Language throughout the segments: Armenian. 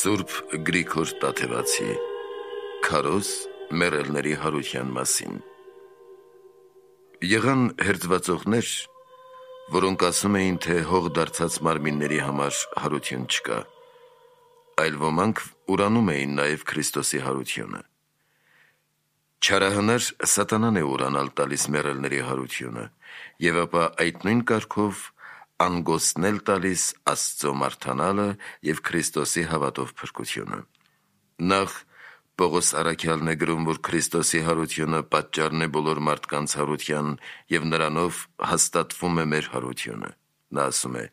Սուրբ Գրիգոր Տաթևացի Քարոզ մեռելների հարության մասին։ Եղան հերձվածողներ, որոնք ասում էին, թե հող դարձած մարմինների համար հարություն չկա, այլ ոմանք ուրանում էին նաև Քրիստոսի հարությունը։ Չարահնար սատանան է ուրանալ տալիս մեռելների հարությունը, եւ ապա այդ նույն կարգով անգոսնել տալիս Աստծո մարդանալը եւ Քրիստոսի հավատով փրկությունը։ Նախ Պողոս առաքյալն է գրում, որ Քրիստոսի հարությունը պատճառն է բոլոր մարդկանց հարության եւ նրանով հաստատվում է մեր հարությունը։ Նա ասում է.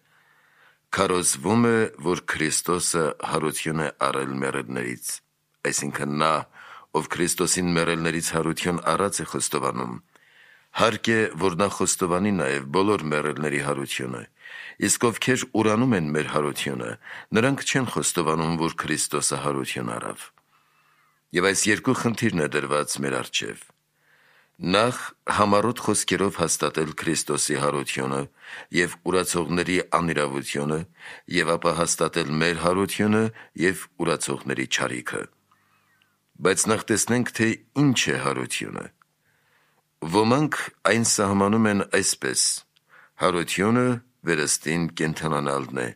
«Քարոզվում է, որ Քրիստոսը հարություն է առել մեռելներից», այսինքն նա, ով Քրիստոսին մեռելներից հարություն առած է խոստովանում, հարկ է, որ նա խոստովանի նաև բոլոր մեռելների հարությունը, իսկ ովքեր ուրանում են մեր հարությունը, նրանք չեն խոստովանում, որ Քրիստոսը հարություն առավ։ Եվ այս երկու խնդիրն է դրված մեր առջև. նախ համառոտ խոսքերով հաստատել Քրիստոսի հարությունը եւ ուրացողների անիրավությունը, եւ ապա հաստատել մեր հարությունը եւ ուրացողների չարիքը։ Բայց նախ տեսնենք, թե ինչ է հարությունը։ Ոմանք այն սահմանում են այսպես. հարությունը վերստին կենդանանալն է,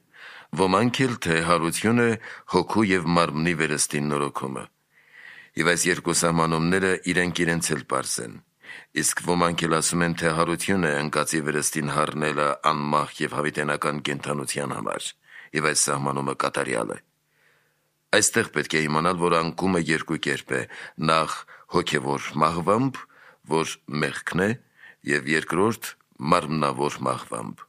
ոմանք էլ, թե հարությունը հոգու եւ մարմնի վերստին նորոգումը։ Եվ այս երկու սահմանումները իրենք էլ պարզ են, իսկ ոմանք էլ ասում են, թե հարություն է ընկածի վերստին հառնելը անմահ եւ հավիտենական կենդանության համար, եւ այս սահմանումը կատարյալ է։ Այստեղ պետք է իմանալ, որ անկումը երկու կերպ է, նախ հոգևոր մահվամբ, որ մեղքն է, եւ երկրորդ մարմնավոր մահվամբ։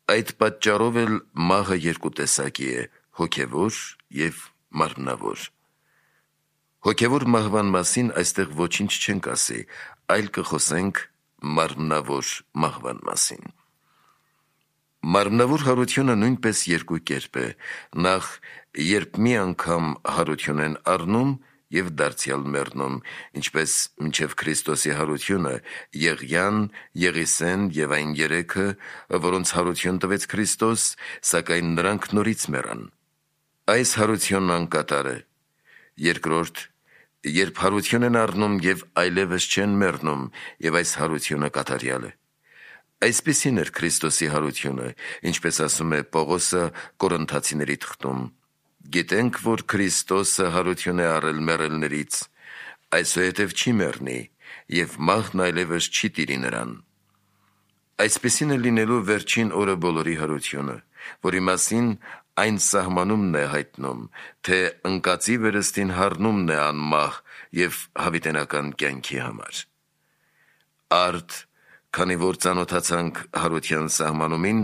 Այդ պատճառով էլ մահը երկու տեսակի է՝ հոգևոր եւ մարմնավոր։ Հոգևոր մահվան մասին այստեղ ոչինչ չենք ասի, այլ կխոսենք մարմնավոր մահվան մասին։ Մարմնավոր հարությունը նույնպես երկու կերպ է, նախ երբ մի անգամ հարություն են առնում եւ դարձյալ մեռնում, ինչպես մինչև Քրիստոսի հարությունը Եղիան, Եղիսեն եւ այն երեքը, որոնց հարություն տվեց Քրիստոս, սակայն նրանք նորից մեռան։ Այս հարությունն անկատար է։ Երկրորդ, երբ հարություն են առնում եւ այլևս չեն մեռնում, եւ այս հարությունը կատարյալ է։ Այսպիսին էր Քրիստոսի հարությունը, ինչպես ասում է Պողոսը Կորինթացիների թղթում. «Գիտենք, որ Քրիստոսը հարություն է առել մեռելներից, այսուհետև չի մեռնի, եւ մահն այլևս չի տիրի նրան»։ Այսպիսին է լինելու վերջին օրը բոլորի հարությունը, որի մասին այն սահմանումն է հայտնում, թե ընկածի վերստին հառնումն է անմահ եւ հավիտենական կյանքի համար։ Արդ, քանի որ ծանոթացանք հարության սահմանումին,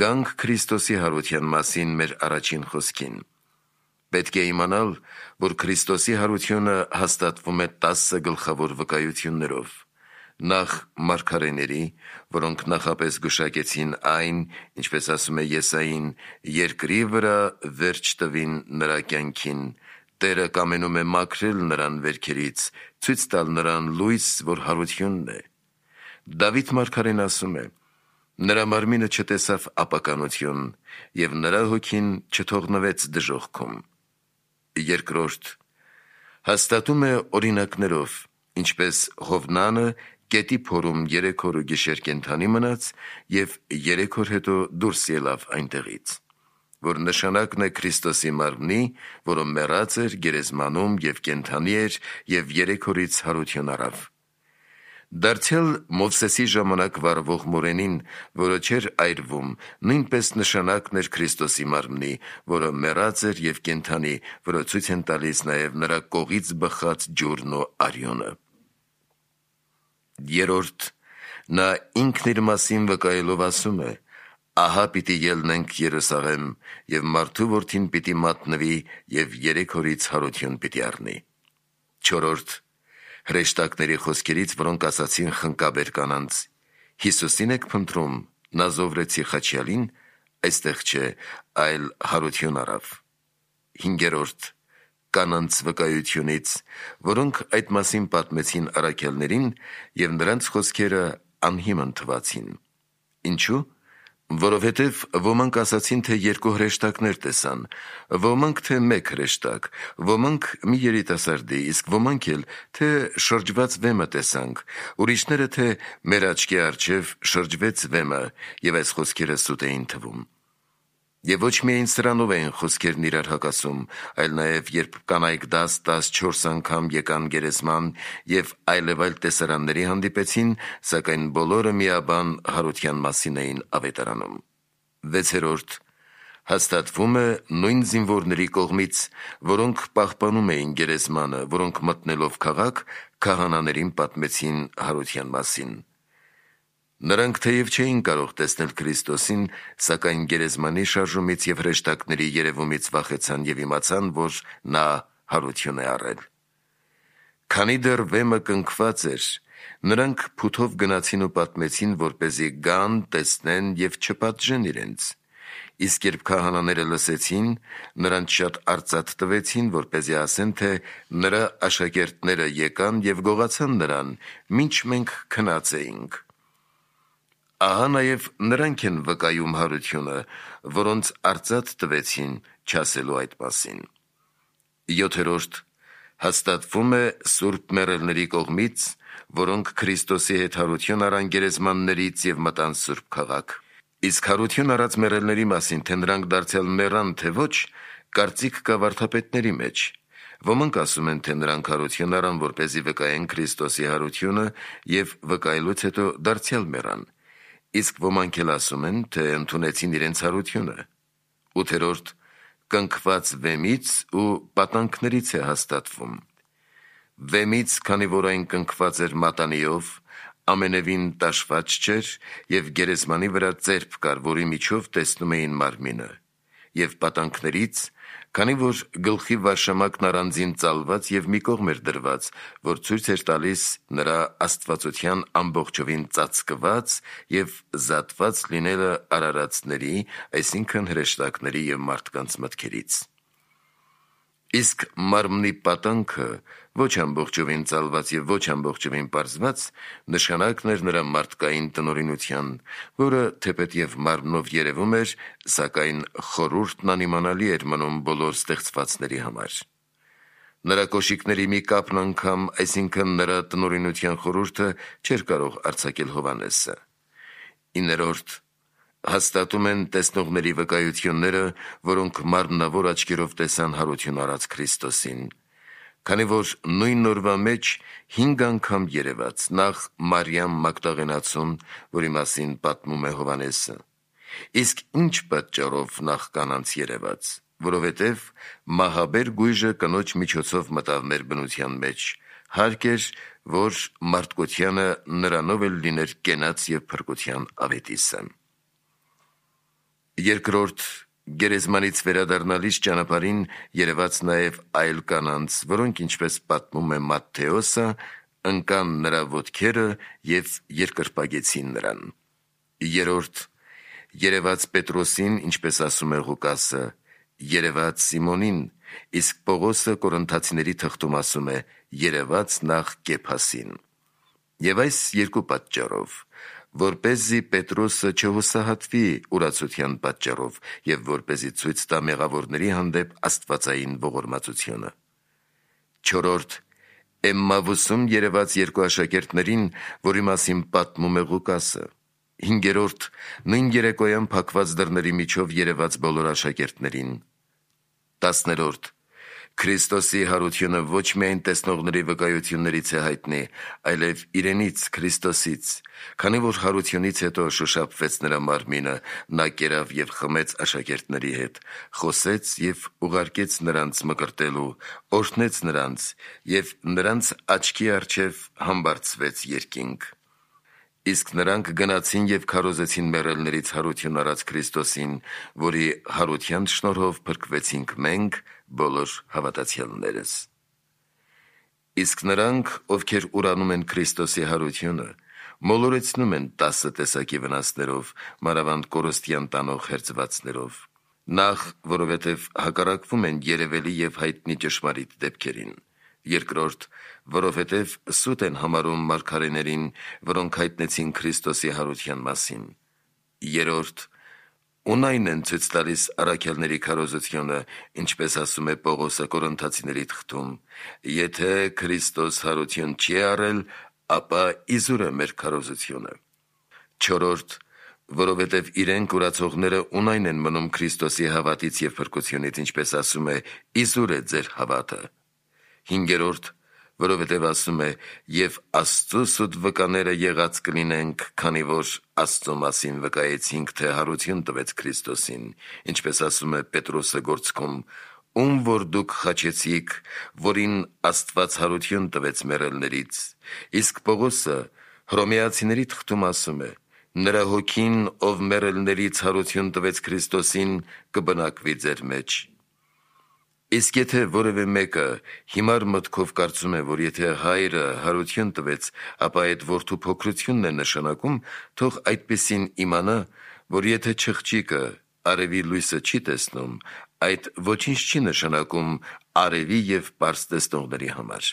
գանք Քրիստոսի հարության մասին մեր առաջին խոսքին։ Պետք է իմանալ, որ Քրիստոսի հարությունը հաստատվում է 10 գլխավոր վկայություններով. նախ մարգարեների, որոնք նախապես գուշակեցին այն, ինչպես ասում է Եսային, երկրի վրա վերջ տվին նրա կյանքին, Տերը կամենում է մաքրել նրան վերքերից, ցույց տալ նրան լույս, որ հարությունն է։ Դավիթ մարգարեն ասում է. նրա մարմինը չտեսավ ապականություն, եւ նրա հոգին չթողնվեց դժոխքում։ Երկրորդ, հաստատում է օրինակներով, ինչպես Հովնանը կետի փորում 3 օր ու գիշեր կենդանի մնաց եւ 3 օր հետո դուրս ելավ այնտեղից, որ նշանակն է Քրիստոսի մարմնի, որը մեռած էր գերեզմանում եւ կենդանի էր եւ 3 օրից հարություն առավ։ Դարձյալ Մովսեսի ժամանակ վառվող մորենին, որը չէր այրվում, նույնպես նշանակն էր Քրիստոսի մարմնի, որը մեռած էր եւ կենդանի, որը ցույց են տալիս նաեւ նրա կողից բխած ջուրն ու արյունը։ Երորդ, նա ինքն իր մասին վկայելով ասում է. ահա պիտի ելնենք Երուսաղեմ, եւ մարդու որդին պիտի մատնվի եւ 3 օրից հարություն պիտի առնի։ Չորրորդ, հրեշտակների խոսքերից, որոնք ասացին խնկաբեր կանանց. Հիսուսին եք փնտրում, Նազովրեցի Խաչյալին, այստեղ չէ, այլ հարություն առավ։ Հինգերորդ, կանանց վկայությունից, որոնք այդ մասին պատմեցին առաքյալներին եւ նրանց խոսքերը անհիմն թվացին։ Ինչու՞։ Որովհետև ոմանք ասացին, թե երկու հրեշտակներ տեսան, ոմանք թե մեկ հրեշտակ, ոմանք մի երիտասարդի, իսկ ոմանք էլ թե շրջված վեմը տեսանք, ուրիշները թե մեր աչքի առջև շրջվեց վեմը, եւ այս խոսքերը սուտ էին թվում։ Եվ ոչ միայն սրանով էին խոսքերն իրար հակասում, այլ նաև երբ կանայք 10-14 անգամ եկան գերեզման եւ այլեւայլ տեսարանների հանդիպեցին, սակայն բոլորը միաբան հարության մասին էին ավետարանում։ 6. Հաստատվում է նույն զինվորների կողմից, որոնք պահպանում էին գերեզմանը, որոնք մտնելով քաղաք, քահանաներին պատմեցին հարության մասին։ Նրանք թեև չէին կարող տեսնել Քրիստոսին, սակայն գերեզմանի շարժումից եւ հրեշտակների երևումից վախեցան եւ իմացան, որ նա հարություն է առել։ Քանի դեռ վեմը կնքված էր, նրանք փութով գնացին ու պատմեցին, որպեսզի գան, տեսնեն եւ չպատժեն իրենց։ Իսկ երբ քահանաները լսեցին, նրանց շատ արծաթ տվեցին, որպեսզի ասեն, թե նրա աշակերտները եկան եւ գողացան նրան, մինչ մենք քնած էինք։ Ահա նաև նրանք են վկայում հարությունը, որոնց արծաթ տվեցին չասելու այդ մասին։ 7. Հաստատվում է սուրբ մեռելների կողմից, որոնք Քրիստոսի հետ հարություն առան գերեզմաններից եւ մտան սուրբ քաղաք։ Իսկ հարություն առած մեռելների մասին, թե նրանք դարձյալ մեռան, թե ոչ, կարծիք կա վարդապետների մեջ։ Ոմանք ասում են, թե նրանք հարություն առան, որպեսզի վկայեն Քրիստոսի հարությունը եւ վկայելուց հետո դարձյալ մեռան։ Իսկ ոմանք էլ ասում են, թե ընդունեցին իրենց հարությունը։ 8. Կնքված վեմից ու պատանքներից է հաստատվում։ Վեմից, քանի որ այն կնքված էր մատանիով, ամենևին տաշված չէր եւ գերեզմանի վրա ծերբ կար, որի միջով տեսնում էին մարմինը, եւ պատանքներից, քանի որ գլխի վարշամակն առանձին ծալված եւ մի կողմ էր դրված, որ ցույց էր տալիս նրա աստվածության ամբողջովին ծածկված եւ զատված լինելը արարածների, այսինքն հրեշտակների եւ մարդկանց մտքերից։ Իսկ մարմնի պատանքը ոչ ամբողջովին ծալված եւ ոչ ամբողջովին պարզված նշանակն էր նրա մարդկային տնօրինության, որը թեպետ եւ մարմնով երևում էր, սակայն խորհուրդն անիմանալի էր մնում բոլոր ստեղծվածների համար։ Նրա կոշիկների մի կապն անգամ, այսինքն նրա տնօրինության խորհուրդը չէր կարող արձակել Հովհաննեսը։ 9. Հաստատում են տեսնողների վկայությունները, որոնք մարմնավոր աչքերով տեսան հարություն առած Քրիստոսին, քանի որ նույն օրվա մեջ 5 անգամ երևաց, նախ Մարիամ Մագդաղենացուն, որի մասին պատմում է Հովհաննեսը։ Իսկ ինչ պատճառով նախ կանանց երևաց, որովհետև մահաբեր գույժը կնոջ միջոցով մտավ մեր բնության մեջ, հարկ էր, որ մարդկությանը նրանով էլ լիներ կենաց եւ փրկության ավետիսը։ 2. Գերեզմանից վերադառնալիս ճանապարհին երևաց նաև այլ կանանց, որոնք, ինչպես պատմում է Մատթեոսը, ընկան նրա ոտքերը եւ երկրպագեցին նրան։ 3. Երևաց Պետրոսին, ինչպես ասում է Ղուկասը, երևաց Սիմոնին, իսկ Պողոսը Կորինթացիների թղթում ասում է, երևաց նախ Կեփասին։ Եվ այս երկու պատճառով, որպեսզի Պետրոսը չհուսահատվի ուրացության պատճառով եւ որպեսզի ցույց տա մեղավորների հանդեպ աստվածային ողորմածությունը։ 4. Էմմավուսում երևաց երկու աշակերտներին, որի մասին պատմում է Ղուկասը։ 5. Նույն երեկոյան փակված դռների միջով երևաց բոլոր աշակերտներին։ 10. Քրիստոսի հարությունը ոչ միայն տեսնողների վկայություններից է հայտնի, այլև իրենից, Քրիստոսից, քանի որ հարությունից հետո շոշափվեց նրա մարմինը, նա կերավ եւ խմեց աշակերտների հետ, խոսեց եւ ուղարկեց նրանց մկրտելու, օրհնեց նրանց եւ նրանց աչքի առջև համբարձվեց երկինք։ Իսկ նրանք գնացին եւ քարոզեցին մեռելներից հարություն առած Քրիստոսին, որի հարության շնորհով փրկվեցինք մենք, բոլոր հավատացյալներս։ Իսկ նրանք, ովքեր ուրանում են Քրիստոսի հարությունը, մոլորեցնում են 10 տեսակի վնասներով, մանավանդ կորստյան տանող հերձվածներով։ Նախ, որովհետև հակառակվում են երևելի եւ հայտնի ճշմարիտ դեպքերին։ 2. Որովհետև սուտ են համարում մարգարեներին, որոնք հայտնեցին Քրիստոսի հարության մասին։ 3. Ունայն են ցույց տալիս առաքյալների քարոզությունը, ինչպես ասում է Պողոսը Կորինթացիների թղթում. եթե Քրիստոս հարություն չի արել, ապա իզուր է մեր քարոզությունը։ 4. Որովհետև իրենք ուրացողները ունայն են մնում Քրիստոսի հավատից և փրկությունից, ինչպես ասում է, իզուր է ձեր հավատը։ 5. Որովհետև ասում է, և Աստծու սուտ վկաները եղած կլինենք, քանի որ Աստծու մասին վկայեցինք, թե հարություն տվեց Քրիստոսին, ինչպես ասում է Պետրոսը գործքում, ում որ դուք խաչեցիք, որին Աստված հարություն տվեց մեռելներից։ Իսկ Պողոսը Հռոմեացիների թղթում ասում է. նրա հոգին, ով մեռելներից հարություն տվեց Քրիստոսին, կբնակվի ձեր մեջ։ Իսկ եթե որևէ մեկը հիմար մտքով կարծում է, որ եթե հայրը հարություն տվեց, ապա այդ որդու փոքրությունն է նշանակում, թող այդպիսին իմանա, որ եթե չղջիկը արևի լույսը չի տեսնում, այդ ոչինչ չի նշանակում արևի և պարզ տեսնողների համար։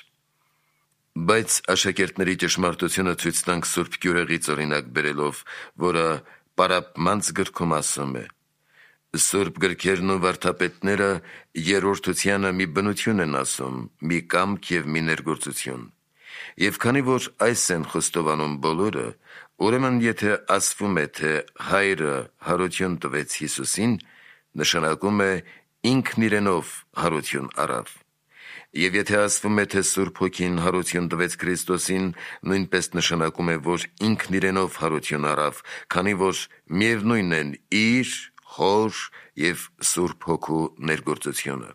Բայց աշակերտների ճշմարտությունը ցույց տանք Սուրբ Գյուրեղից օրինակ բերելով, որը Պարապմանց գրքում ասում է. Սուրբ գրքերն ու վարդապետները երրորդությանը մի բնություն են ասում, մի կամք և մի ներգործություն։ Եվ քանի որ այս են խոստովանում բոլորը, ուրեմն եթե ասվում է, թե հայրը հարություն տվեց Հիսուսին, նշանակում է ինքն իրենով հարություն առավ։ Եվ եթե ասվում է, թե Սուրբ Հոգին հարություն տվեց Քրիստոսին, նույնպես նշանակում է, որ ինքն իրենով հարություն առավ, քանի որ միևնույնն են իր, Հոր և Սուրբ Հոգու ներգործությունը։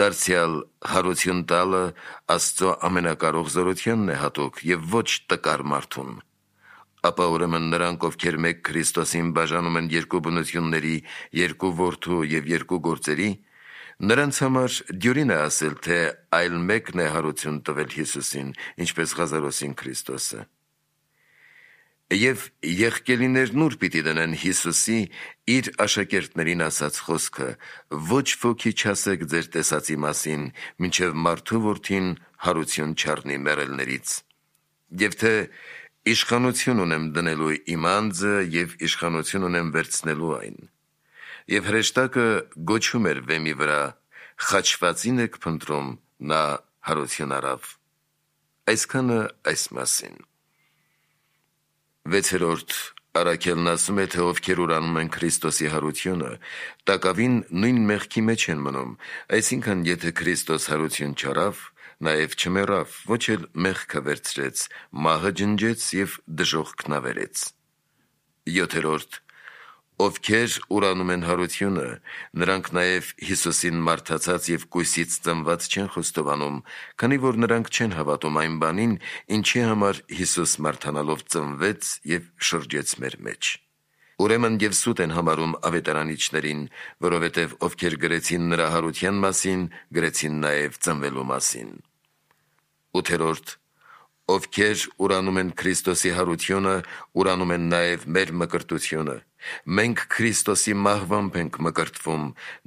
Դարձյալ հարություն տալը Աստծո ամենակարող զորությանն է հատուկ և ոչ տկար մարդուն։ Ապա ուրեմն նրանք, ովքեր մեկ Քրիստոսին բաժանում են երկու բնությունների, երկու որդու և երկու գործերի, նրանց համար դյուրին է ասել, թե այլ մեկն է հարություն տվել Հիսուսին, ինչպես Ղազարոսին Քրիստոսը։ Եվ եղկելիներն ուր պիտի դնեն Հիսուսի իր աշակերտներին ասած խոսքը. ոչ ոքի չասեք ձեր տեսածի մասին, մինչև մարդու որդին հարություն չառնի մեռելներից։ Եվ թե իշխանություն ունեմ դնելու իմ անձը և իշխանություն ունեմ վերցնելու այն։ Եվ հրեշտակը գոչում էր վեմի վրա. խաչվածին եք փնտրում, նա հարություն առավ։ Այսքանը այս մասին։ 6. Առաքյալն ասում է, թե ովքեր ուրանում են Քրիստոսի հարությունը, տակավին նույն մեղքի մեջ են մնում, այսինքն եթե Քրիստոս հարություն չառավ, նաև չմեռավ, ոչ էլ մեղքը վերցրեց, մահը ջնջեց և դժոխքն ավերեց։ 7. Ովքեր ուրանում են հարությունը, նրանք նաև Հիսուսին մարդացած և կույսից ծնված չեն խոստովանում, քանի որ նրանք չեն հավատում այն բանին, ինչի համար Հիսուս մարդանալով ծնվեց և շրջեց մեր մեջ։ Ուրեմն և սուտ են համարում ավետարանիչներին, որովհետև ովքեր գրեցին նրա հարության մասին, գրեցին նաև ծնվելու մասին։ 8. Ովքեր ուրանում են Քրիստոսի հարությունը, ուրանում են նաև մեր մկրտությունը։ Մենք Քրիստոսի մահվամբ ենք մկրտվում,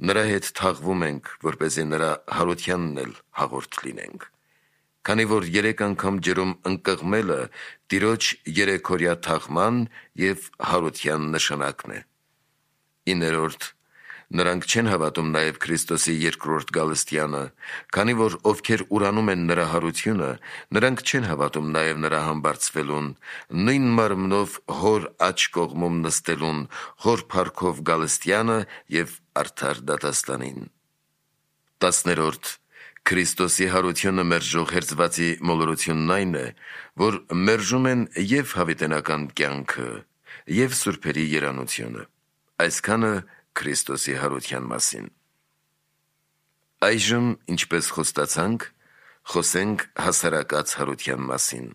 նրա հետ թաղվում ենք, որպեսզի նրա հարությանն էլ հաղորդ լինենք։ Քանի որ 3 անգամ ջրում ընկղմելը Տիրոջ 3-օրյա թաղման և հարության նշանակն է։ 9. Նրանք չեն հավատում նաև Քրիստոսի երկրորդ գալստյանը, քանի որ ովքեր ուրանում են նրա հարությունը, նրանք չեն հավատում նաև նրա համբարձվելուն, նույն մարմնով Հոր աջ կողմում նստելուն, Հոր փառքով գալստյանը և արդար դատաստանին։ 10. Քրիստոսի հարությունը մերժող հերձվածի մոլորությունն այն է, որ մերժում են և հավիտենական կյանքը, և սուրբերի երանությունը։ Այսքանը Քրիստոսի հարության մասին։ Այժմ, ինչպես խոստացանք, խոսենք հասարակած հարության մասին։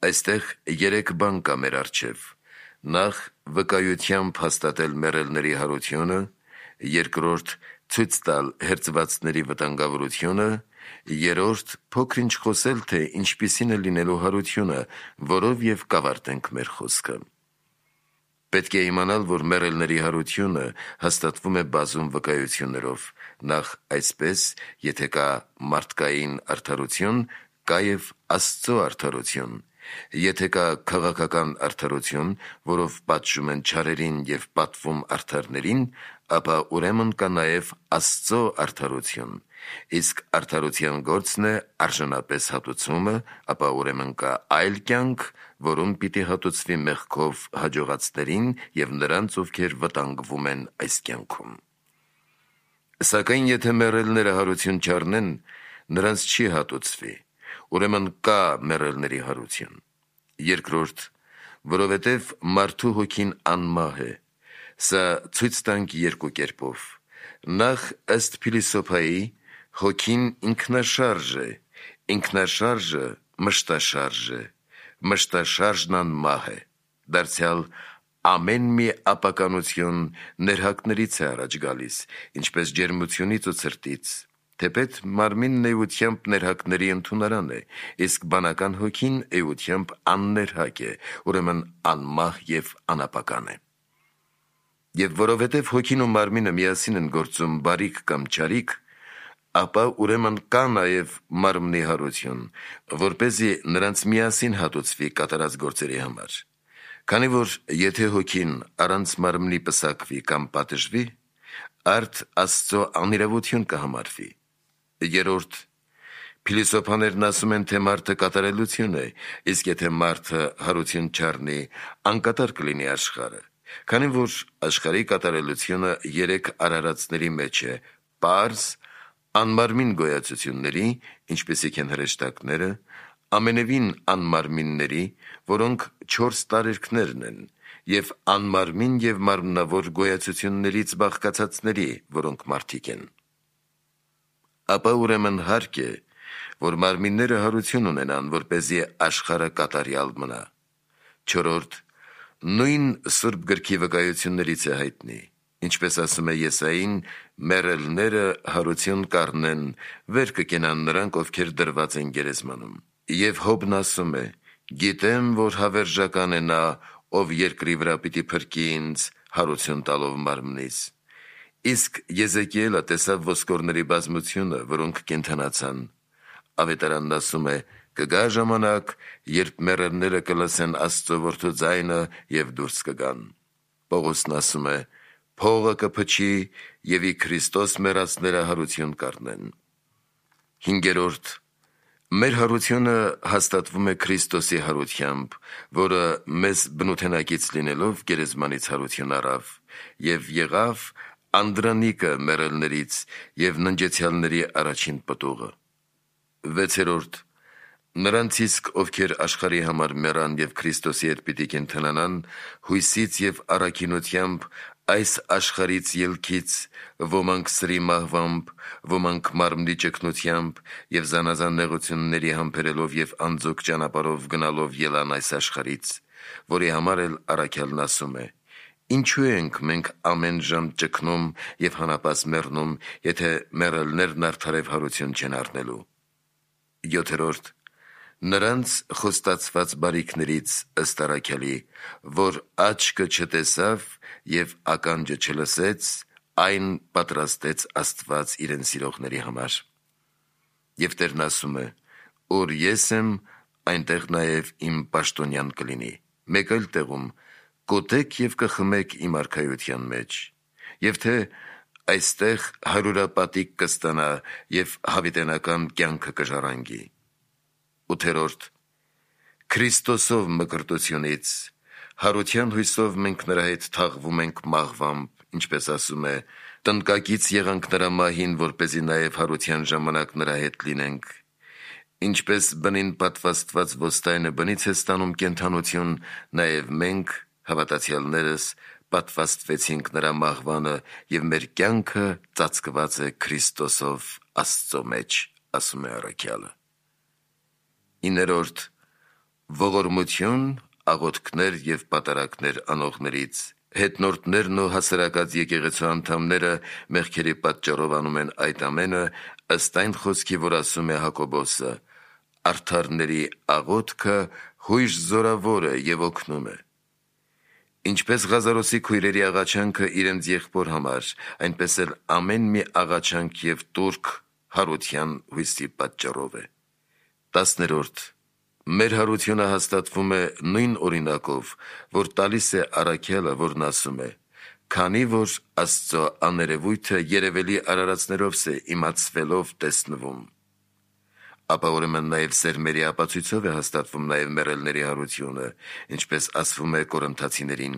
Այստեղ 3 բան կա մեր առջև. նախ վկայությամբ հաստատել մեռելների հարությունը, երկրորդ ցույց տալ հերձվածների վտանգավորությունը, երրորդ փոքր-ինչ խոսել, թե ինչպիսին է լինելու հարությունը, որով և կավարտենք մեր խոսքը։ Պետք է իմանալ, որ մեռելների հարությունը հաստատվում է բազում վկայություններով, նախ այսպես, եթե կա մարդկային արդարություն, կա և Աստծո արդարություն, Եթե կա քաղաքական արդարություն, որով պատժում են չարերին եւ պատվում արդարներին, ապա ուրեմն կա նաեւ Աստծո արդարություն, իսկ արդարության գործն է արժանապես հատուցումը, ապա ուրեմն կա այլ կյանք, որում պիտի հատուցվի մեղքով հաջողածներին եւ նրանց, ովքեր վտանգվում են այս կյանքում։ Սակայն եթե մեռելները հարություն չառնեն, նրանց չի հատուցվի, ուրեմն կա մեռելների հարություն։ Երկրորդ, որովհետև մարդու հոգին անմահ է, սա ցույց տանք երկու կերպով։ Նախ ըստ Փիլիսոփայի հոգին ինքնաշարժ է, ինքնաշարժը մշտաշարժ է, մշտաշարժն անմահ է։ Դարձյալ ամեն մի ապականություն ներհակներից է առաջ գալիս, ինչպես ջերմությունից ու ցրտից, թեպետ մարմինն էությամբ ներհակների ընդունարան է, իսկ բանական հոգին էությամբ աններհակ է, ուրեմն անմահ եւ անապական է։ Եվ որովհետև հոգին ու մարմինը միասին են գործում բարիք կամ չարիք, ապա ուրեմն կա նաև մարմնի հարություն, որպեսզի նրանց միասին հատուցվի կատարած գործերի համար։ Քանի որ եթե հոգին առանց մարմնի պսակվի կամ պատժվի, արդ Աստծո անիրավություն կհամարվի։ Երորդ, փիլիսոփաներն ասում են, թե մարդը կատարելություն է, իսկ եթե մարդը հարություն չառնի, անկատար կլինի աշխարհը, քանի որ աշխարհի կատարելությունը 3 արարածների մեջ է՝ պարզ, անմարմին գոյացությունների, ինչպիսիք են հրեշտակները, ամենևին անմարմինների, որոնք 4 տարերքներն են, եւ անմարմին եւ մարմնավոր գոյացություններից բաղկացածների, որոնք մարդիկ են։ Ապա ուրեմն հարկ է, որ մարմինները հարություն ունենան, որպեսզի աշխարհը կատարյալ մնա։ Չորրորդ, նույն Սուրբ գրքի վկայություններից է հայտնի, ինչպես ասում է Եսային, մեռելները հարություն կառնեն, վեր կկենան նրանք, ովքեր դրված են գերեզմանում։ Եվ Հոբն ասում է. գիտեմ, որ հավերժական է նա, ով երկրի վրա պիտի փրկի ինձ, հարություն տալով մարմնից։ Իսկ Եզեկիելը տեսավ ոսկորների բազմությունը, որոնք կենդանացան։ Ավետարանն ասում է. կգա ժամանակ, երբ մեռելները կլսեն Աստծո որդու ձայնը եւ դուրս կգան։ Պողոսն ասում է. փողը կփչի եւ ի Քրիստոս մեռածները հարություն կառնեն։ Հինգերորդ, մեր հարությունը հաստատվում է Քրիստոսի հարությամբ, որը մեզ բնութենակից լինելով գերեզմանից հարություն առավ եւ եղավ անդրանիկը մեռելներից եւ ննջեցյալների առաջին պտուղը։ Վեցերորդ, նրանց իսկ ովքեր աշխարհի համար մեռան եւ Քրիստոսի հետ պիտի կենդանանան, հույսից եւ առաքինությամբ այս աշխարհից ելքից, ոմանք սրի մահվամբ, ոմանք մարմնի ճգնությամբ եւ զանազան նեղությունների համբերելով եւ անձոք ճանապարհով գնալով ելան այս աշխարհից, որի համար էլ առաքյալն ասում է. ինչու ենք մենք ամեն ժամ ճգնում եւ հանապաս մեռնում, եթե մեռելներն արդարև հարություն չեն առնելու։ Յոթերորդ, նրանց խոստացված բարիքներից ըստ առաքյալի, որ աչքը չտեսավ եւ ականջը չլսեց, այն պատրաստեց Աստված իրեն սիրողների համար։ Եվ Տերն ասում է. ուր ես եմ, այնտեղ նաեւ իմ պաշտոնյան կլինի։ Մեկ այլ տեղում կոտեք եւ կխմեք իմ արքայության մեջ, եւ թե այստեղ հարյուրապատիկ կստանա եւ հավիտենական կյանքը կժառանգի։ Ութերորդ, Քրիստոսով մկրտությունից, հարության հույսով մենք նրա հետ թաղվում ենք մահվամբ, ինչպես ասում է, տնկակից եղանք նրա մահին, որպեսզի նաև հարության ժամանակ նրա հետ լինենք։ Ինչպես բնին պատվաստված ոստայնը բնից է ստանում կենդանություն, նաև մենք, հավատացյալներս, պատվաստվեցինք նրա մահվանը եւ մեր կյանքը ծածկված է Քրիստոսով Աստծո մեջ, ասում է առաքյալը։ 9. Ողորմություն, աղոթքներ եւ պատարակներ անողներից, հետնորդներն ու հասարակած եկեղեցու անդամները մեղքերի պատճառով անում են այդ ամենը, ըստ այն խոսքի, որ ասում է Հակոբոսը. արդարների աղոթքը հույժ զորավոր է եւ օգնում է։ Ինչպես Ղազարոսի քույրերի աղաչանքը իրենց եղբոր համար, այնպես էլ ամեն մի աղաչանք եւ տուրք հարության հույսի պատճառով է։ 10. Մեր հարությունը հաստատվում է նույն օրինակով, որ տալիս է առաքյալը, որն ասում է. «Քանի որ Աստծո աներևույթը երևելի արարածներով է իմացվելով տեսնվում»։ Ապա ուրեմն նաև սերմերի ապացույցով է հաստատվում նաև մեռելների հարությունը, ինչպես ասվում է Կորինթացիներին.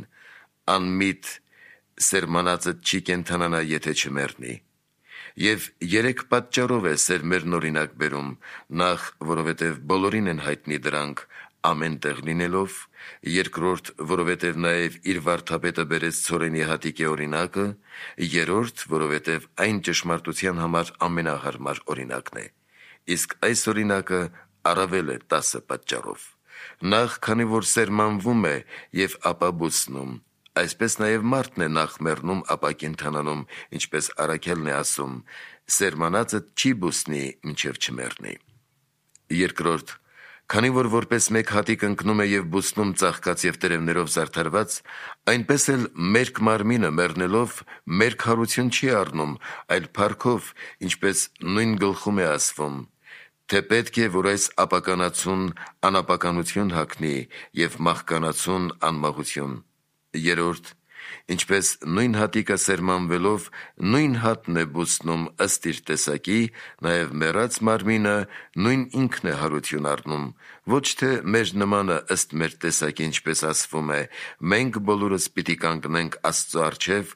«Անմիտ սերմանածը չի կենդանանա, եթե չմեռնի»։ Եվ 3 պատճառով է սերմերն օրինակ բերում. նախ, որովհետև բոլորին են հայտնի դրանք ամեն տեղ լինելով, երկրորդ, որովհետև նաև իր վարդապետը բերեց ցորենի հատիկի օրինակը, երրորդ, որովհետև այն ճշմարտության համար ամենահարմար օրինակն է, իսկ այս օրինակը առավել է 10 պատճառով. նախ, քանի որ սերմանվում է և ապա բուսնում, այսպես նաև մարդն է նախ մեռնում, ապա կենդանանում, ինչպես առաքյալն է ասում. «Սերմանածը չի բուսնի, մինչև չմեռնի»։ Երկրորդ, քանի որ որպես մեկ հատիկ ընկնում է և բուսնում ծաղկած և տերևներով զարդարված, այնպես էլ մերկ մարմինը մեռնելով մերկ հարություն չի առնում, այլ փառքով, ինչպես նույն գլխում է ասվում. թե պետք է, որ այս ապականացուն անապականություն հագնի և մահկանացուն անմահություն։ Երրորդ, ինչպես նույն հատիկը սերմանվելով նույն հատն է բուսնում ըստ իր տեսակի, նաև մեռած մարմինը նույն ինքն է հարություն առնում, ոչ թե մեր նմանը ըստ մեր տեսակի, ինչպես ասվում է. մենք բոլորս պիտի կանգնենք Աստծո առջև,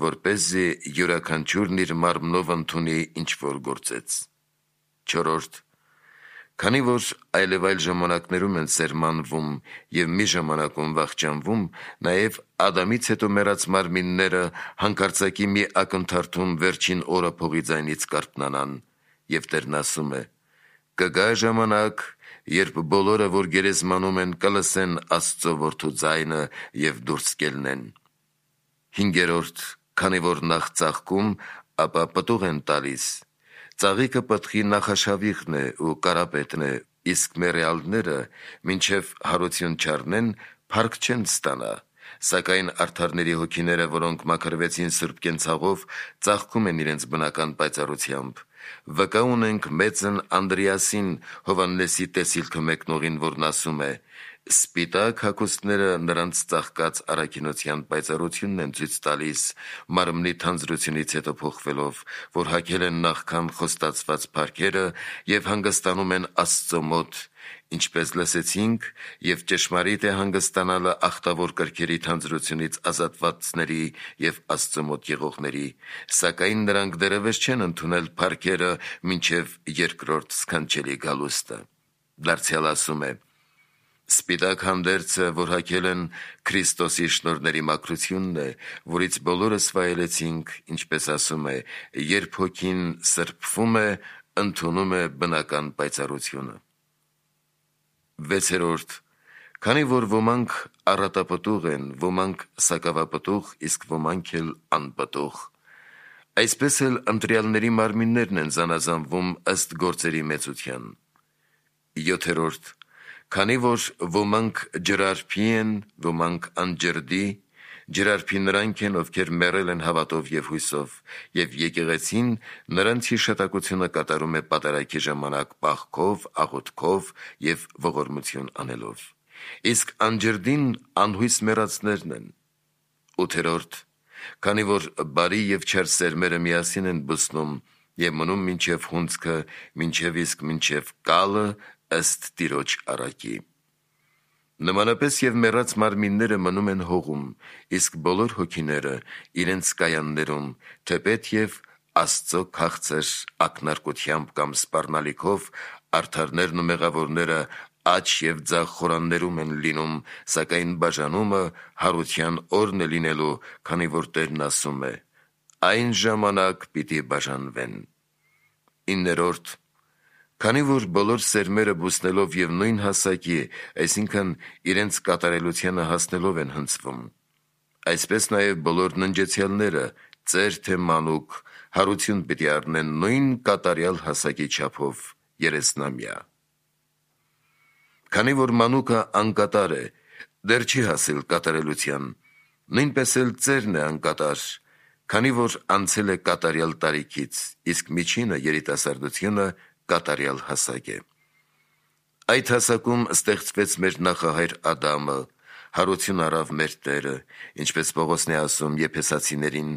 որպեսզի յուրաքանչյուրն իր մարմնով ընդունի ինչ որ գործեց։ Չորրորդ, քանի որ այլևայլ ժամանակներում են սերմանվում և մի ժամանակում վախճանվում, նաև Ադամից հետո մեռած մարմինները հանկարծակի մի ակնթարթում վերջին օրը փողի ձայնից կարթնանան, և Տերն ասում է. «Կգա ժամանակ, երբ բոլորը, որ գերեզմանում են, կլսեն Աստծո որդու ձայնը և դուրս կելնեն»։ Հինգերորդ, քանի որ նախ ծաղկում, ապա պտուղ են տալիս, ծաղիկը պտղի նախաշավիղն է ու կարապետն է, իսկ մեռյալները, մինչև հարություն չառնեն, փառք չեն ստանա, սակայն արդարների հոգիները, որոնք մաքրվեցին սուրբ կենցաղով, ծաղկում են իրենց բնական պայծառությամբ։ Վկա ունենք մեծն Անդրեասին, Հովհաննեսի տեսիլքը մեկնողին, որն ասում է. «Սպիտակ հագուստները նրանց ծաղկած առաքինության պայծառությունն են ցույց տալիս, մարմնի թանձրությունից հետո փոխվելով, որ հագել են նախքան խոստացված փառքերը և հանգստանում են Աստծո մոտ, ինչպես լսեցինք, և ճշմարիտ է հանգստանալը ախտավոր կրքերի թանձրությունից ազատվածների և Աստծո մոտ եղողների, սակայն նրանք դեռևս չեն ընդունել փառքերը մինչև երկրորդ սքանչելի գալուստը»։ Դարձյալ ասում է. «Սպիտակ հանդերձը, որ հագել են, Քրիստոսի շնորհների մաքրությունն է, որից բոլորս վայելեցինք, ինչպես ասում է, երբ հոգին սրբվում է, ընդունում է բնական պայծառությունը»։ Վեցերորդ, քանի որ ոմանք առատապտուղ են, ոմանք սակավապտուղ, իսկ ոմանք էլ անպտուղ, այսպես էլ ընտրյալների մարմիններն են զանազանվում ըստ գործերի մեծության։ Յոթերորդ, քանի որ ոմանք ջրարբի են, ոմանք անջրդի, ջրարբի նրանք են, ովքեր մեռել են հավատով և հույսով, և եկեղեցին նրանց հիշատակությունը կատարում է պատարագի ժամանակ պահքով, աղոթքով և ողորմություն անելով, իսկ անջրդին անհույս մեռածներն են։ Ութերորդ, քանի որ բարի և չար սերմերը միասին են բուսնում և մնում մինչև հունձքը, մինչև կալը ըստ Տիրոջ առակի։ Նմանապես և մեռած մարմինները մնում են հողում, իսկ բոլոր հոգիները իրենց կայաններում, թեպետ և Աստծո քաղցր ակնարկությամբ կամ սպառնալիքով արդարներն ու մեղավորները աջ և ձախ խորաններում են լինում, սակայն բաժանումը հարության օրն է լինելու, քանի որ Տերն ասում է. «Այն ժամանակ պիտի բաժանվեն»։ Իններորդ, քանի որ բոլոր սերմերը բուսնելով և նույն հասակի, այսինքն իրենց կատարելությանը հասնելով են հնձվում, այսպես նաև բոլոր ննջեցյալները, ծեր թե մանուկ, հարություն պիտի առնեն նույն կատարյալ հասակի չափով՝ 30-ամյա։ Քանի որ մանուկը անկատար է, դեռ չի հասել կատարելության, նույնպես էլ ծերն է անկատար, քանի որ անցել է կատարյալ տարիքից, իսկ միջինը՝ երիտասարդությունը, կատարյալ հասակ է։ Այդ հասակում ստեղծվեց մեր նախահայր Ադամը, հարություն առավ մեր Տերը, ինչպես Պողոսն է ասում Եփեսացիներին,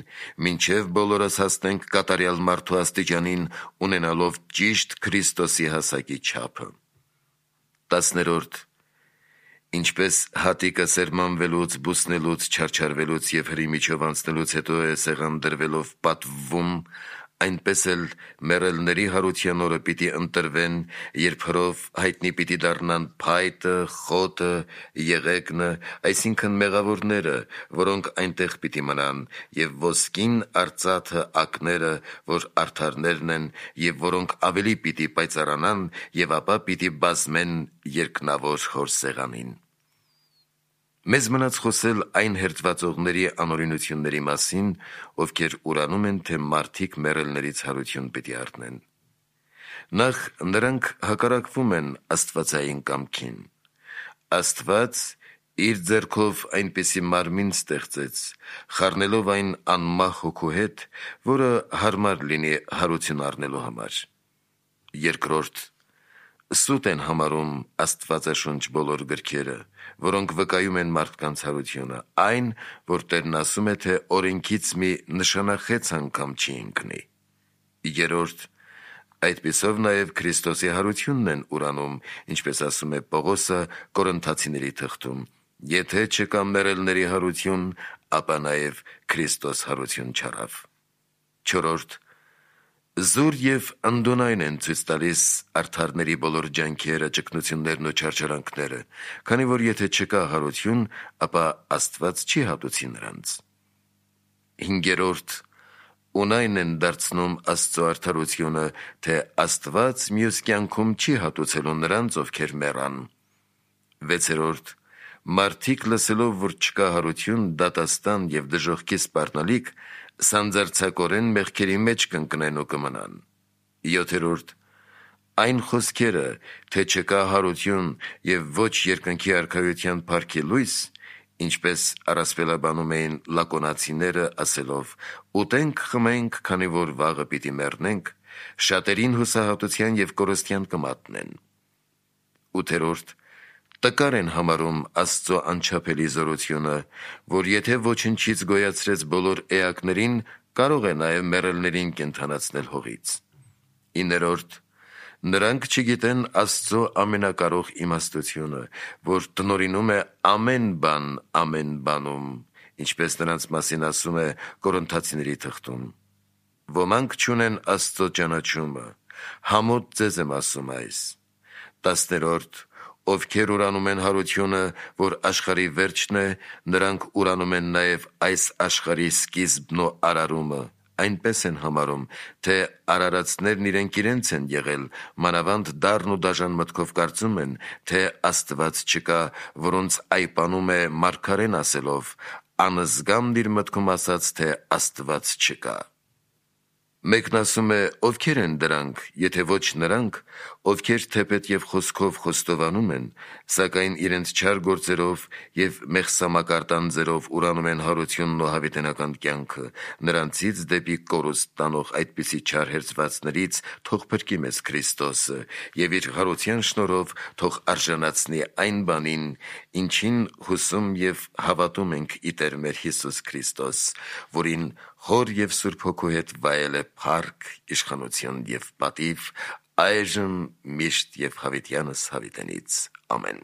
մինչև բոլորս հասնենք կատարյալ մարդու աստիճանին, ունենալով ճիշտ Քրիստոսի հասակի չափը։ 10. Ինչպես հատիկը սերմանվելուց, բուսնելուց, չարչարվելուց և հրի միջով անցնելուց հետո է սեղան դրվելով պատվվում, այնպես էլ մեռելների հարության օրը պիտի ընտրվեն, երբ հրով հայտնի պիտի դառնան փայտը, խոտը, եղեգնը, այսինքն մեղավորները, որոնք այնտեղ պիտի մնան, և ոսկին արծաթը ակները, որ արդարներն են, և որոնք ավելի պիտի պայծառանան, և ապա պիտի բազմեն երկնավոր Հոր սեղանին։ Մեզ մնաց խոսել այն հերձվածողների անօրինությունների մասին, ովքեր ուրանում են, թե մարդիկ մեռելներից հարություն պիտի առնեն։ Նախ նրանք հակառակվում են աստվածային կամքին։ Աստված իր ձեռքով այնպիսի մարմին ստեղծեց, խառնելով այն անմահ հոգու հետ, որը հարմար լինի հարություն առնելու համար։ Երկրորդ, սուտ են համարում Աստվածաշունչ բոլոր գրքերը, որոնք վկայում են մարդկանց հարությունը, այն, որ Տերն ասում է, թե օրենքից մի նշանախեց անգամ չի ընկնի։ Երրորդ, այդպիսով նաև Քրիստոսի հարությունն են ուրանում, ինչպես ասում է Պողոսը Կորինթացիների թղթում. եթե չկա մեռելների հարություն, ապա նաև Քրիստոս հարություն չառավ։ Չորրորդ, զուր և անդոնայն են ցույց տալիս արդարների բոլոր ջանքերը, ճգնություններն ու չարչարանքները, քանի որ եթե չկա հարություն, ապա Աստված չի հատուցի նրանց։ Հինգերորդ, ունայն են դարձնում Աստծո արդարությունը, թե Աստված մյուս կյանքում չի հատուցելու նրանց, ովքեր մեռան։ Վեցերորդ, մարդիկ լսելով, որ չկա հարություն, դատաստան և դժոխքի սպառնալիք, սանձարձակորեն մեղքերի մեջ կընկնեն ու կմնան։ Յոթերորդ, այն խոսքերը, թե չկա հարություն և ոչ երկնքի արքայության փառքի լույս, ինչպես առասպելաբանում էին լակոնացիները, ասելով. «Ուտենք, խմենք, քանի որ վաղը պիտի մեռնենք», շատերին հուսահատության և կորստյան կմատնեն։ Ութերորդ, տկար են համարում Աստծո անչափելի զորությունը, որ եթե ոչնչից գոյացրեց բոլոր էակներին, կարող է նաև մեռելներին կենդանացնել հողից։ Իներորդ, նրանք չգիտեն Աստծո ամենակարող իմաստությունը, որ տնօրինում է ամեն բան ամեն բանում, ինչպես նրանց մասին ասում է Կորինթացիների թղթում. «Ոմանք չունեն Աստծո ճանաչումը, համոտ ձեզ եմ ասում այս»։ 10. Ովքեր ուրանում են հարությունը, որ աշխարհի վերջն է, նրանք ուրանում են նաև այս աշխարհի սկիզբն ու արարումը, այնպես են համարում, թե արարածներն իրենց են եղել, մանավանդ դառն ու դաժան մտքով կարծում են, թե Աստված չկա, որոնց այպանում է մարգարեն ասելով. «Անզգամն իր մտքում ասաց, թե Աստված չկա»։ Մեկն ասում է. ովքեր են դրանք, եթե ոչ նրանք, ովքեր թեպետ և խոսքով խոստովանում են, սակայն իրենց չար գործերով և մեղսամակարդան ձերով ուրանում են հարությունն ու հավիտենական կյանքը, նրանցից դեպի կորուստ տանող այդպիսի չար հերձվածներից թող փրկի մեզ Քրիստոսը և իր հարության շնորհով թող արժանացնի այն բանին, ինչին հուսում և հավատում ենք ի Տեր մեր Հիսուս Քրիստոս, որին Հոր և Սուրբ Հոգու հետ վայել է փառք, իշխանություն և պատիվ, այժմ միշտ և հավիտյանս հավիտենից։ Ամեն։